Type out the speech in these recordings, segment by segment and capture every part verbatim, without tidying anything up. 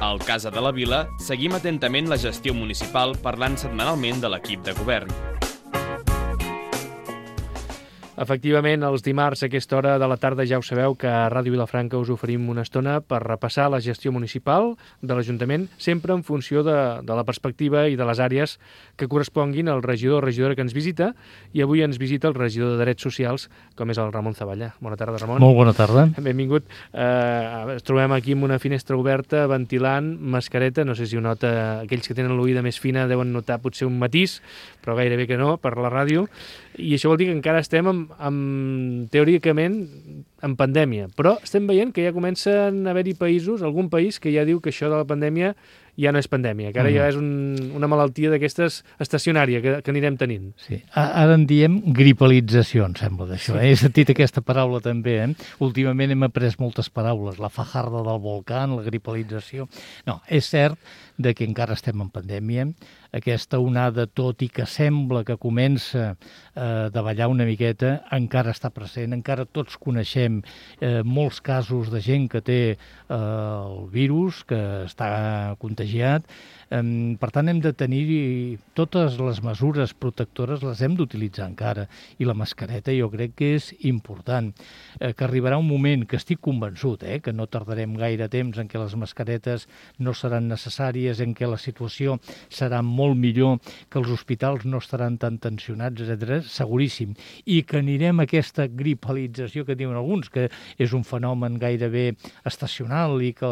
Al Casa de la Vila seguim atentament la gestió municipal parlant setmanalment de l'equip de govern. Efectivament, els dimarts a aquesta hora de la tarda ja ho sabeu que a Ràdio Vilafranca us oferim una estona per repassar la gestió municipal de l'Ajuntament, sempre en funció de, de la perspectiva i de les àrees que corresponguin al regidor o regidora que ens visita, i avui ens visita el regidor de Drets Socials, com és el Ramon Zavallà. Bona tarda, Ramon. Molt bona tarda. Benvingut. Eh, ens trobem aquí amb una finestra oberta, ventilant, mascareta, no sé si ho nota, aquells que tenen l'oïda més fina deuen notar potser un matís, però gairebé que no, per la ràdio, i això vol dir que encara estem amb, amb, teòricament en pandèmia, però estem veient que ja comencen a haver-hi països, algun país que ja diu que això de la pandèmia ja no és pandèmia, que ara mm. ja és un, una malaltia d'aquestes estacionària que, que anirem tenint. Sí. Ara en diem gripalització, em sembla, d'això. Sí. He sentit aquesta paraula també. Eh? Últimament hem après moltes paraules, la fajarda del volcà, la gripalització. No, és cert de que encara estem en pandèmia. Aquesta onada, tot i que sembla que comença eh, a davallar una miqueta, encara està present, encara tots coneixem eh, molts casos de gent que té eh, el virus, que està contagiat. Eh, per tant, hem de tenir totes les mesures protectores, les hem d'utilitzar encara, i la mascareta jo crec que és important, eh, que arribarà un moment que estic convençut, eh, que no tardarem gaire temps en què les mascaretes no seran necessàries, en què la situació serà molt millor, que els hospitals no estaran tan tensionats, etcètera, seguríssim. I que anirem a aquesta gripalització que diuen alguns, que és un fenomen gairebé estacional i que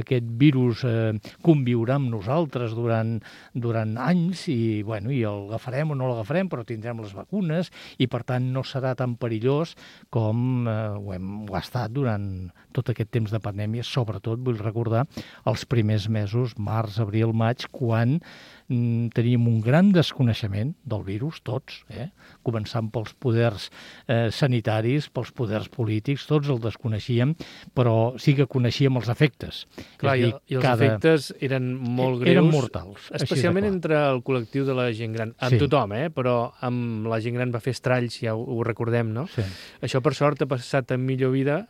aquest virus eh, conviurà amb nosaltres durant, durant anys i, bueno, i l'agafarem o no l'agafarem, però tindrem les vacunes i, per tant, no serà tan perillós com eh, ho, hem, ho ha estat durant tot aquest temps de pandèmia. Sobretot, vull recordar, els primers mesos, març, abril, maig, quan mm, teníem un gran desconeixement del virus, tots, eh? Començant pels poders eh, sanitaris, pels poders polítics, tots el desconeixíem, però sí que coneixíem els efectes. Clar, dir, i, i els cada... efectes eren molt greus. Eren mortals. Especialment entre el col·lectiu de la gent gran. Amb sí. tothom, eh? Però amb la gent gran va fer estralls, ja ho, ho recordem, no? Sí. Això, per sort, ha passat en millor vida,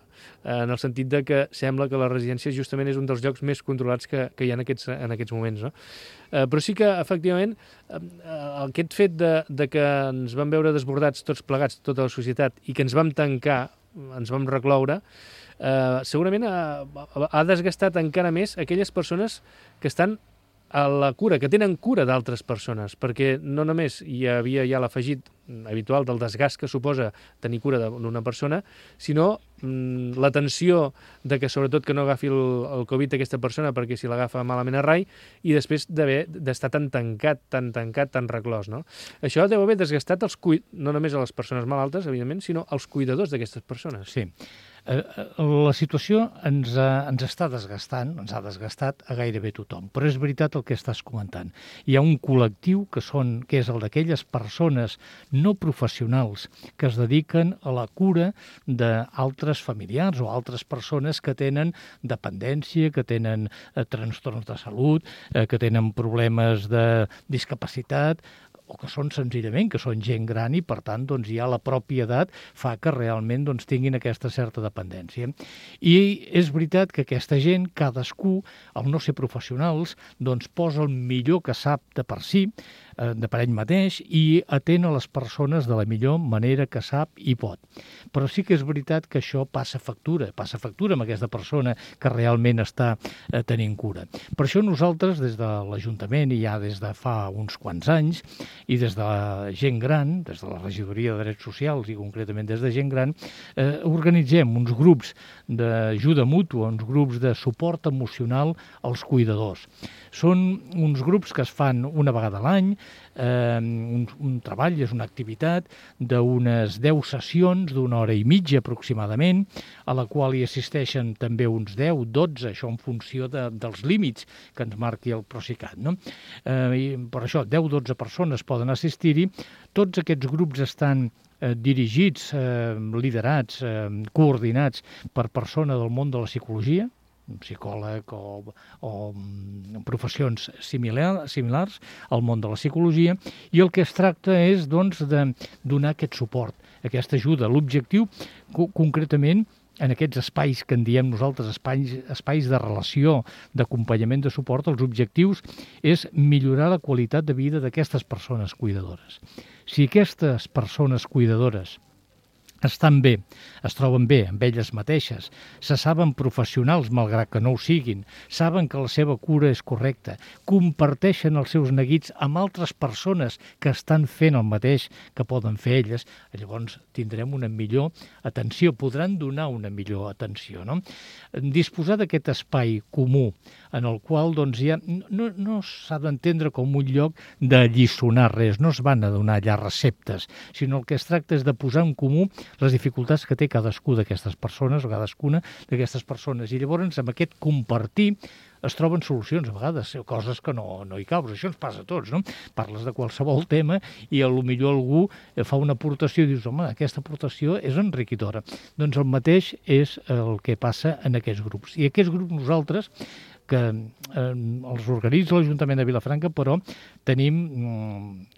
en el sentit de que sembla que la residència justament és un dels llocs més controlats que, que hi ha en aquests, en aquests moments, no? Eh, però sí que, efectivament, eh, aquest fet de, de que ens vam veure desbordats tots plegats, tota la societat, i que ens vam tancar, ens vam recloure, eh, segurament ha, ha desgastat encara més aquelles persones que estan a la cura, que tenen cura d'altres persones, perquè no només hi havia ja l'afegit habitual del desgast que suposa tenir cura d'una persona, sinó mm, la tensió de que sobretot que no agafi el, el Covid aquesta persona, perquè si l'agafa malament a rai, i després d'haver d'estar tan tancat, tan tancat, tan reclòs, no? Això deu haver desgastat els cui... no només a les persones malaltes, evidentment, sinó als cuidadors d'aquestes persones. Sí. La situació ens, ha, ens està desgastant, ens ha desgastat a gairebé tothom, però és veritat el que estàs comentant. Hi ha un col·lectiu que, són, que és el d'aquelles persones no professionals que es dediquen a la cura d'altres familiars o altres persones que tenen dependència, que tenen eh, trastorns de salut, eh, que tenen problemes de discapacitat, o que són senzillament, que són gent gran i, per tant, doncs, ja la pròpia edat fa que realment doncs, tinguin aquesta certa dependència. I és veritat que aquesta gent, cadascú, al no ser professionals, doncs, posa el millor que sap de per si, eh, de per ell mateix, i atén a les persones de la millor manera que sap i pot. Però sí que és veritat que això passa factura, passa factura amb aquesta persona que realment està eh, tenint cura. Per això nosaltres, des de l'Ajuntament, i ja des de fa uns quants anys, i des de la gent gran, des de la Regidoria de Drets Socials i concretament des de gent gran, eh, organitzem uns grups d'ajuda mútua, uns grups de suport emocional als cuidadors. Són uns grups que es fan una vegada a l'any, eh, un, un treball, és una activitat d'unes deu sessions d'una hora i mitja aproximadament, a la qual hi assisteixen també uns deu, dotze, això en funció de, dels límits que ens marqui el Procicat, no? Eh, i per això, deu dotze persones poden assistir-hi. Tots aquests grups estan eh, dirigits, eh, liderats, eh, coordinats per persona del món de la psicologia, un psicòleg o, o professions similar, similars al món de la psicologia, i el que es tracta és doncs, de donar aquest suport, aquesta ajuda. L'objectiu, co- concretament, en aquests espais que en diem nosaltres, espais, espais de relació, d'acompanyament, de suport, els objectius és millorar la qualitat de vida d'aquestes persones cuidadores. Si aquestes persones cuidadores estan bé, es troben bé amb elles mateixes, se saben professionals malgrat que no ho siguin, saben que la seva cura és correcta, comparteixen els seus neguits amb altres persones que estan fent el mateix que poden fer elles, llavors tindrem una millor atenció, podran donar una millor atenció, no? Disposar d'aquest espai comú en el qual doncs, ja no, no s'ha d'entendre com un lloc d'alliçonar res, no es van a donar allà receptes, sinó el que es tracta és de posar en comú les dificultats que té cadascú d'aquestes persones o cadascuna d'aquestes persones. I llavors, amb aquest compartir, es troben solucions, a vegades, coses que no, no hi caus. Això ens passa a tots, no? Parles de qualsevol tema i a lo millor algú fa una aportació i dius, home, aquesta aportació és enriquidora. Doncs el mateix és el que passa en aquests grups. I aquests grups nosaltres, que eh, els organitza l'Ajuntament de Vilafranca, però tenim,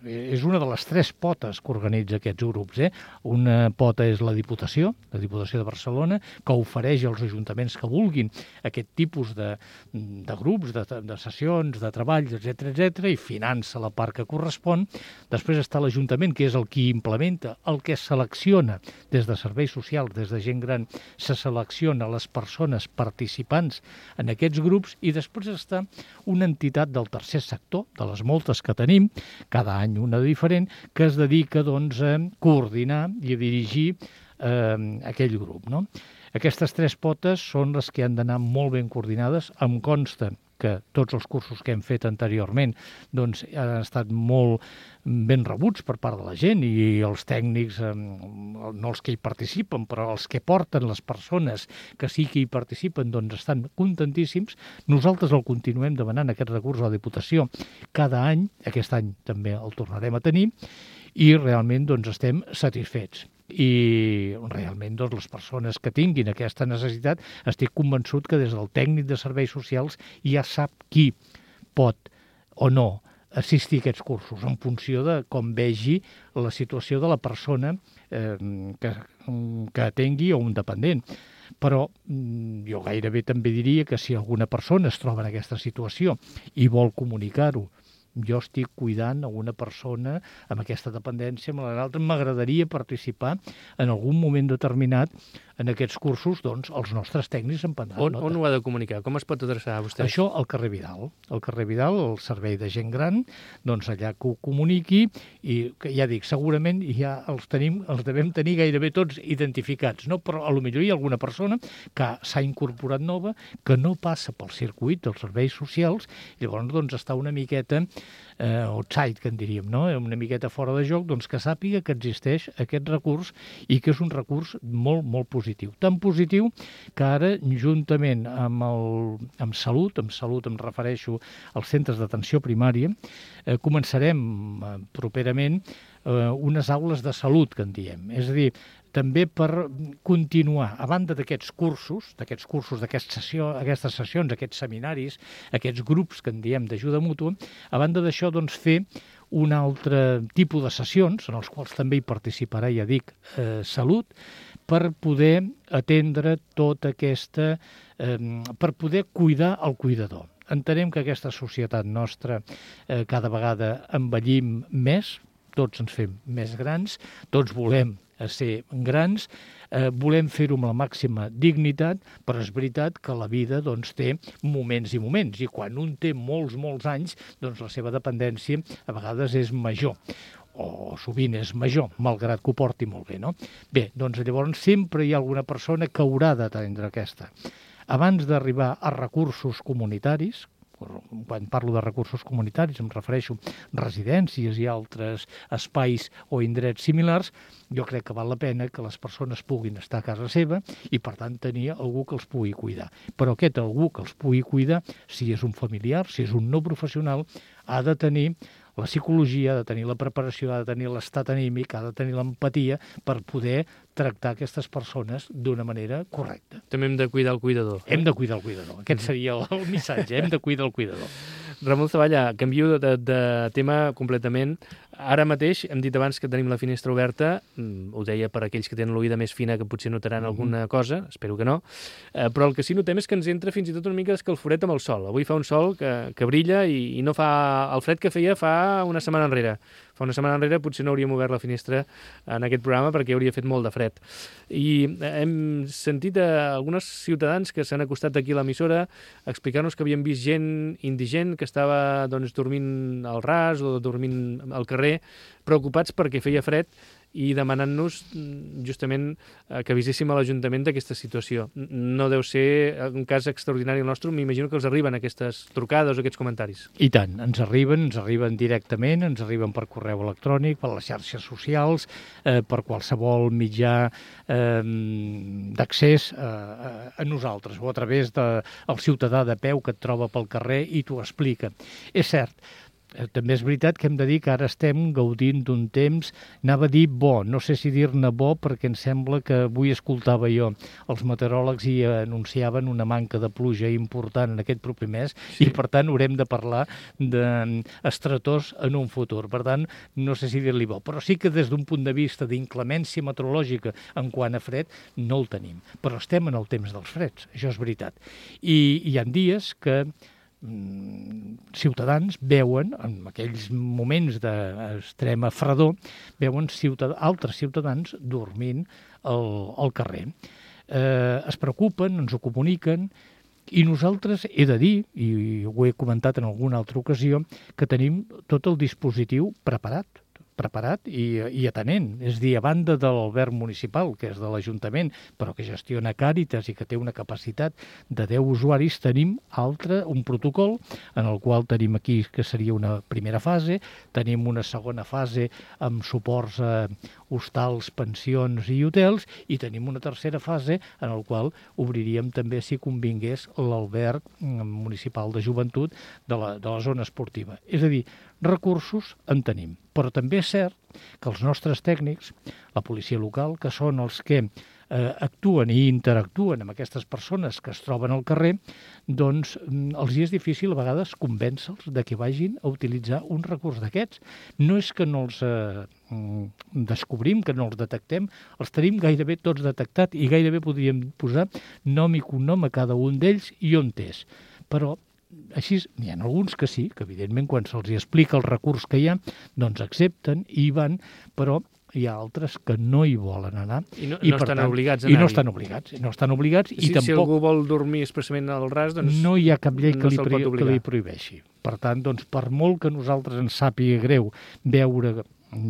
eh, és una de les tres potes que organitza aquests grups. Eh? Una pota és la Diputació, la Diputació de Barcelona, que ofereix als ajuntaments que vulguin aquest tipus de, de grups, de, de sessions, de treballs, etcètera, etcètera, i finança la part que correspon. Després està l'Ajuntament, que és el qui implementa, el que selecciona des de serveis socials, des de gent gran, se selecciona les persones participants en aquests grups, i després està una entitat del tercer sector, de les moltes que tenim, cada any una diferent, que es dedica doncs, a coordinar i a dirigir eh, aquell grup. No? Aquestes tres potes són les que han d'anar molt ben coordinades. Em consta que tots els cursos que hem fet anteriorment doncs, han estat molt ben rebuts per part de la gent i els tècnics, no els que hi participen, però els que porten les persones que sí que hi participen, doncs estan contentíssims. Nosaltres el continuem demanant, aquest recurs a la Diputació, cada any, aquest any també el tornarem a tenir, i realment doncs, estem satisfets. I realment doncs, les persones que tinguin aquesta necessitat, estic convençut que des del tècnic de serveis socials ja sap qui pot o no assistir a aquests cursos en funció de com vegi la situació de la persona eh, que, que tingui o un dependent. Però jo gairebé també diria que si alguna persona es troba en aquesta situació i vol comunicar-ho, jo estic cuidant a una persona amb aquesta dependència, amb l'altra, m'agradaria participar en algun moment determinat en aquests cursos, doncs, els nostres tècnics en prendran on, nota. on ho ha de comunicar? Com es pot adreçar a vostè? Això al carrer Vidal. Al carrer Vidal, el servei de gent gran, doncs allà que ho comuniqui, i que ja dic, segurament ja els tenim, els devem tenir gairebé tots identificats, no? Però a lo millor hi ha alguna persona que s'ha incorporat nova, que no passa pel circuit dels serveis socials, i llavors doncs està una miqueta eh, outside, que en diríem, no? Una miqueta fora de joc, doncs que sàpiga que existeix aquest recurs i que és un recurs molt, molt positiu. Tan positiu que ara, juntament amb, el, amb Salut, amb Salut em refereixo als centres d'atenció primària, eh, començarem eh, properament eh, unes aules de salut, que en diem. És a dir, també per continuar, a banda d'aquests cursos, d'aquests cursos, d'aquestes sessió, aquestes sessions, aquests seminaris, aquests grups que en diem d'ajuda mútua, a banda d'això, doncs, fer un altre tipus de sessions, en els quals també hi participarà, ja dic, eh, Salut, per poder atendre tota aquesta, eh, per poder cuidar el cuidador. Entenem que aquesta societat nostra eh, cada vegada envellim més, tots ens fem més grans, tots volem ser grans, eh, volem fer-ho amb la màxima dignitat, però és veritat que la vida doncs, té moments i moments, i quan un té molts, molts anys, doncs la seva dependència a vegades és major, o sovint és major, malgrat que ho porti molt bé, no? Bé, doncs llavors sempre hi ha alguna persona que haurà d'atendre aquesta. Abans d'arribar a recursos comunitaris, quan parlo de recursos comunitaris em refereixo a residències i altres espais o indrets similars, jo crec que val la pena que les persones puguin estar a casa seva i, per tant, tenir algú que els pugui cuidar. Però aquest algú que els pugui cuidar, si és un familiar, si és un no professional, ha de tenir la psicologia, ha de tenir la preparació, ha de tenir l'estat anímic, ha de tenir l'empatia per poder tractar aquestes persones d'una manera correcta. També hem de cuidar el cuidador. Hem de cuidar el cuidador. Aquest seria el, el missatge, hem de cuidar el cuidador. Ramon Zavalla, canvio de, de tema completament. Ara mateix, hem dit abans que tenim la finestra oberta, ho deia per aquells que tenen l'oïda més fina que potser notaran mm-hmm. alguna cosa, espero que no, eh, però el que sí notem és que ens entra fins i tot una mica d'escalforet amb el sol. Avui fa un sol que, que brilla i, i no fa el fred que feia fa una setmana enrere. Fa una setmana enrere potser no hauríem obert la finestra en aquest programa perquè hauria fet molt de fred. I hem sentit a alguns ciutadans que s'han acostat aquí a l'emissora a explicar-nos que havien vist gent indigent que estava doncs, dormint al ras o dormint al carrer, preocupats perquè feia fred i demanant-nos justament que aviséssim a l'Ajuntament d'aquesta situació. No deu ser un cas extraordinari el nostre, m'imagino que els arriben aquestes trucades o aquests comentaris. I tant, ens arriben, ens arriben directament, ens arriben per correu electrònic, per les xarxes socials, eh, per qualsevol mitjà eh, d'accés eh, a nosaltres, o a través del ciutadà de peu que et troba pel carrer i t'ho explica. És cert, també és veritat que hem de dir que ara estem gaudint d'un temps, anava a dir bo, no sé si dir-ne bo perquè em sembla que avui escoltava jo els meteoròlegs i anunciaven una manca de pluja important en aquest proper mes sí. I per tant haurem de parlar d'estretors en un futur. Per tant, no sé si dir-li bo, però sí que des d'un punt de vista d'inclemència meteorològica en quant a fred no el tenim. Però estem en el temps dels freds, això és veritat. I hi ha dies que ciutadans veuen, en aquells moments d'extrema fredor, veuen ciutad altres ciutadans dormint al, al carrer. Eh, es preocupen, ens ho comuniquen, i nosaltres he de dir, i ho he comentat en alguna altra ocasió, que tenim tot el dispositiu preparat. preparat i, i atenent. És a dir, a banda de l'alberg municipal, que és de l'Ajuntament, però que gestiona Càritas i que té una capacitat de deu usuaris, tenim altre, un protocol en el qual tenim aquí que seria una primera fase, tenim una segona fase amb suports a hostals, pensions i hotels, i tenim una tercera fase en el qual obriríem també, si convingués, l'alberg municipal de joventut de la, de la zona esportiva. És a dir, recursos en tenim, però també és cert que els nostres tècnics, la policia local, que són els que eh, actuen i interactuen amb aquestes persones que es troben al carrer, doncs els hi és difícil a vegades convèncer-los de que vagin a utilitzar un recurs d'aquests. No és que no els eh, descobrim, que no els detectem, els tenim gairebé tots detectats i gairebé podríem posar nom i cognom a cada un d'ells i on és. Però així, n'hi ha alguns que sí, que evidentment quan se'ls explica el recurs que hi ha, doncs accepten i hi van, però hi ha altres que no hi volen anar. I no, I no estan tant, obligats a anar-hi. I no anar-hi. estan obligats, i no estan obligats, si, i tampoc... Si algú vol dormir expressament al ras, doncs no hi ha cap llei no que, li, se'l pot que li prohibeixi. Per tant, doncs, per molt que a nosaltres ens sàpiga greu veure...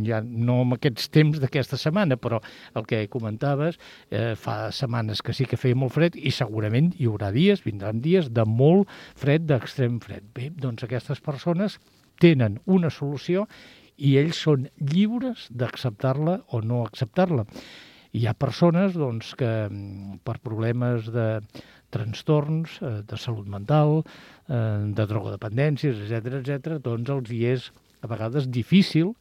ja no en aquests temps d'aquesta setmana, però el que comentaves, eh, fa setmanes que sí que feia molt fred i segurament hi haurà dies, vindran dies de molt fred, d'extrem fred. Bé, doncs aquestes persones tenen una solució i ells són lliures d'acceptar-la o no acceptar-la. Hi ha persones doncs, que per problemes de trastorns, eh, de salut mental, eh, de drogodependències, etcètera, etcètera, doncs els hi és a vegades difícil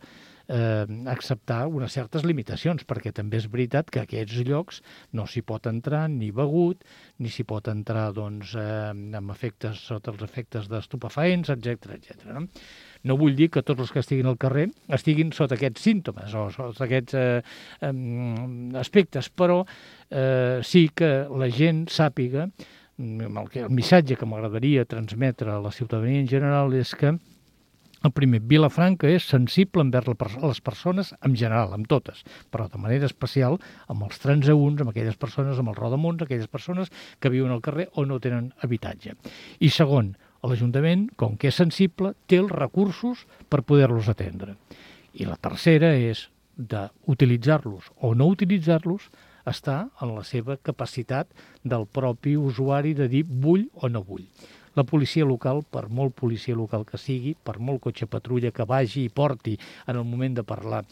Eh, acceptar unes certes limitacions, perquè també és veritat que a aquests llocs no s'hi pot entrar ni begut, ni s'hi pot entrar doncs, eh, amb efectes, sota els efectes d'estupefaents, etcètera, etcètera. No? No vull dir que tots els que estiguin al carrer estiguin sota aquests símptomes o sota aquests eh, eh, aspectes, però eh, sí que la gent sàpiga, el, el missatge que m'agradaria transmetre a la ciutadania en general és que el primer, Vilafranca és sensible envers les persones en general, amb totes, però de manera especial amb els transeünts, amb aquelles persones, amb els rodamuns, aquelles persones que viuen al carrer o no tenen habitatge. I segon, l'Ajuntament, com que és sensible, té els recursos per poder-los atendre. I la tercera és d'utilitzar-los o no utilitzar-los està en la seva capacitat del propi usuari de dir vull o no vull. La policia local, per molt policia local que sigui, per molt cotxe patrulla que vagi i porti en el moment de parlar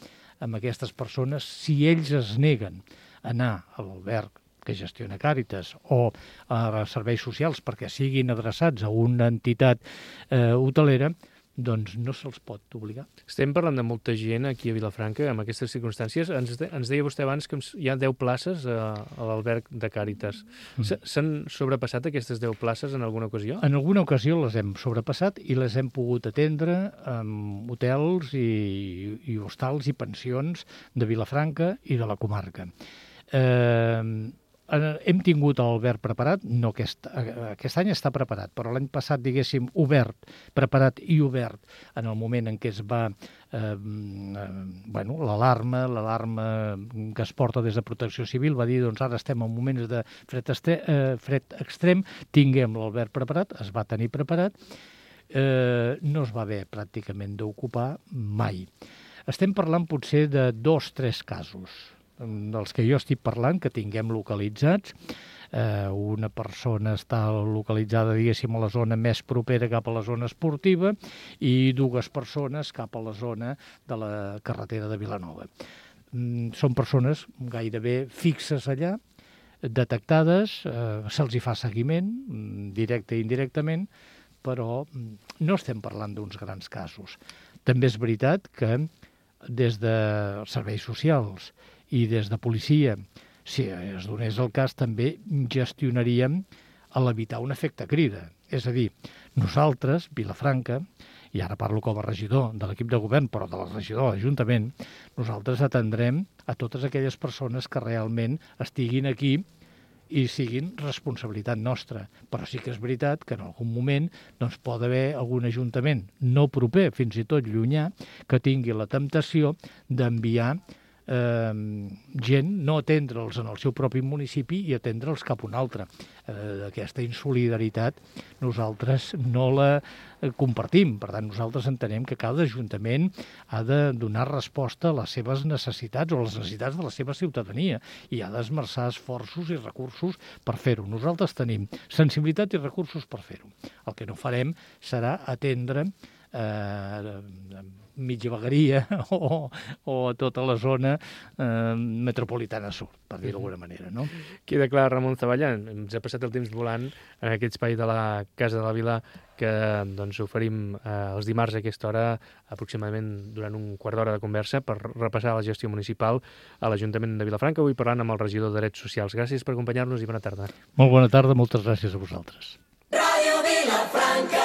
amb aquestes persones, si ells es neguen a anar a l'alberg que gestiona Càritas o a serveis socials perquè siguin adreçats a una entitat eh, hotelera, doncs no se'ls pot obligar. Estem parlant de molta gent aquí a Vilafranca, amb aquestes circumstàncies. Ens, de, ens deia vostè abans que hi ha deu places a, a l'alberg de Càritas. Mm. S'han sobrepassat aquestes deu places en alguna ocasió? En alguna ocasió les hem sobrepassat i les hem pogut atendre amb hotels i, i hostals i pensions de Vilafranca i de la comarca. Eh... Hem tingut l'alberg preparat, no aquest, aquest any està preparat, però l'any passat, diguéssim, obert, preparat i obert en el moment en què es va, eh, bueno, l'alarma, l'alarma que es porta des de Protecció Civil va dir, doncs ara estem en moments de fred, estre, eh, fred extrem, tinguem l'alberg preparat, es va tenir preparat, eh, no es va haver pràcticament d'ocupar mai. Estem parlant potser de dos, tres casos dels que jo estic parlant, que tinguem localitzats. Eh, una persona està localitzada, diguéssim, a la zona més propera cap a la zona esportiva i dues persones cap a la zona de la carretera de Vilanova. Mm, són persones gairebé fixes allà, detectades, eh, se'ls hi fa seguiment, directe i indirectament, però no estem parlant d'uns grans casos. També és veritat que des de serveis socials i des de policia, si es donés el cas, també gestionaríem a l'evitar un efecte crida. És a dir, nosaltres, Vilafranca, i ara parlo com a regidor de l'equip de govern, però de la regidor de l'Ajuntament, nosaltres atendrem a totes aquelles persones que realment estiguin aquí i siguin responsabilitat nostra. Però sí que és veritat que en algun moment doncs, pot haver algun ajuntament no proper, fins i tot llunyà, que tingui la temptació d'enviar Eh, gent, no atendre'ls en el seu propi municipi i atendre'ls cap a un altre. Eh, aquesta insolidaritat nosaltres no la eh, compartim. Per tant, nosaltres entenem que cada ajuntament ha de donar resposta a les seves necessitats o a les necessitats de la seva ciutadania i ha d'esmerçar esforços i recursos per fer-ho. Nosaltres tenim sensibilitat i recursos per fer-ho. El que no farem serà atendre eh, mitja vegueria o, o tota la zona eh, metropolitana sud, per dir-ho d'alguna manera, no? Queda clar, Ramon Zavallà, ens ha passat el temps volant en aquest espai de la Casa de la Vila que doncs, oferim eh, els dimarts a aquesta hora, aproximadament durant un quart d'hora de conversa, per repassar la gestió municipal a l'Ajuntament de Vilafranca, avui parlant amb el regidor de Drets Socials. Gràcies per acompanyar-nos i bona tarda. Molt bona tarda, moltes gràcies a vosaltres. Ràdio Vilafranca.